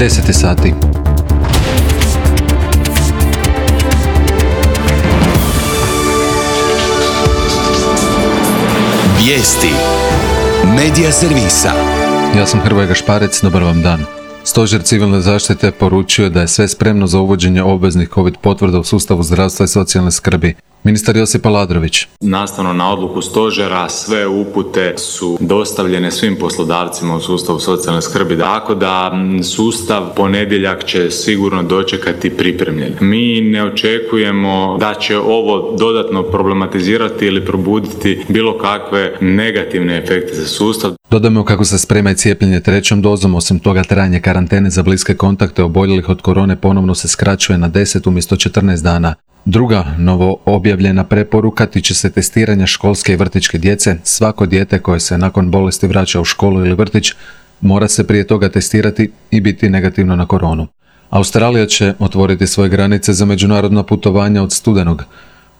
10 sati. Vijesti Medija servisa. Ja sam Hrvoje Gašparec, dobar vam dan. Stožer civilne zaštite poručio da je sve spremno za uvođenje obveznih COVID potvrda u sustavu zdravstva i socijalne skrbi. Ministar Josip Aladrović. Nastavno na odluku stožera, sve upute su dostavljene svim poslodavcima u sustavu socijalne skrbi, tako da sustav ponedjeljak će sigurno dočekati pripremljen. Mi ne očekujemo da će ovo dodatno problematizirati ili probuditi bilo kakve negativne efekte za sustav. Dodajmo kako se sprema i cijepljenje trećom dozom, osim toga trajanje karantene za bliske kontakte oboljelih od korone ponovno se skraćuje na 10 umjesto 14 dana. Druga novo objavljena preporuka tiče se testiranja školske i vrtićke djece. Svako dijete koje se nakon bolesti vraća u školu ili vrtić mora se prije toga testirati i biti negativno na koronu. Australija će otvoriti svoje granice za međunarodna putovanja od studenog.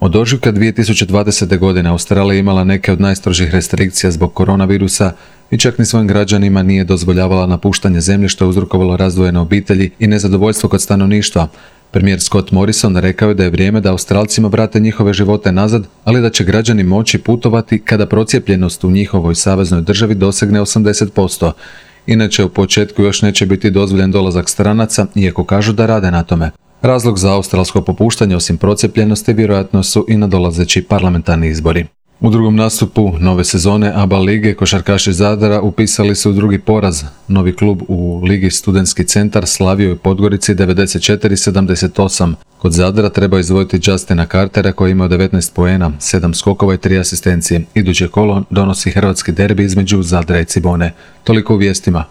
Od ožujka 2020. godine Australija imala neke od najstrožih restrikcija zbog koronavirusa i čak ni svojim građanima nije dozvoljavala napuštanje zemlje, što je uzrokovalo razdvojene obitelji i nezadovoljstvo kod stanovništva. Premijer Scott Morrison rekao je da je vrijeme da Australcima vrate njihove živote nazad, ali da će građani moći putovati kada procijepljenost u njihovoj saveznoj državi dosegne 80%. Inače, u početku još neće biti dozvoljen dolazak stranaca, iako kažu da rade na tome. Razlog za australsko popuštanje osim procijepljenosti vjerojatno su i nadolazeći parlamentarni izbori. U drugom nastupu nove sezone ABA lige košarkaši Zadra upisali su drugi poraz. Novi klub u Ligi Studentski centar slavio je Podgorici 94-78. Kod Zadra treba izdvojiti Justina Cartera koji ima 19 poena, 7 skokova i 3 asistencije. Iduće kolo donosi hrvatski derbi između Zadra i Cibone. Toliko u vijestima.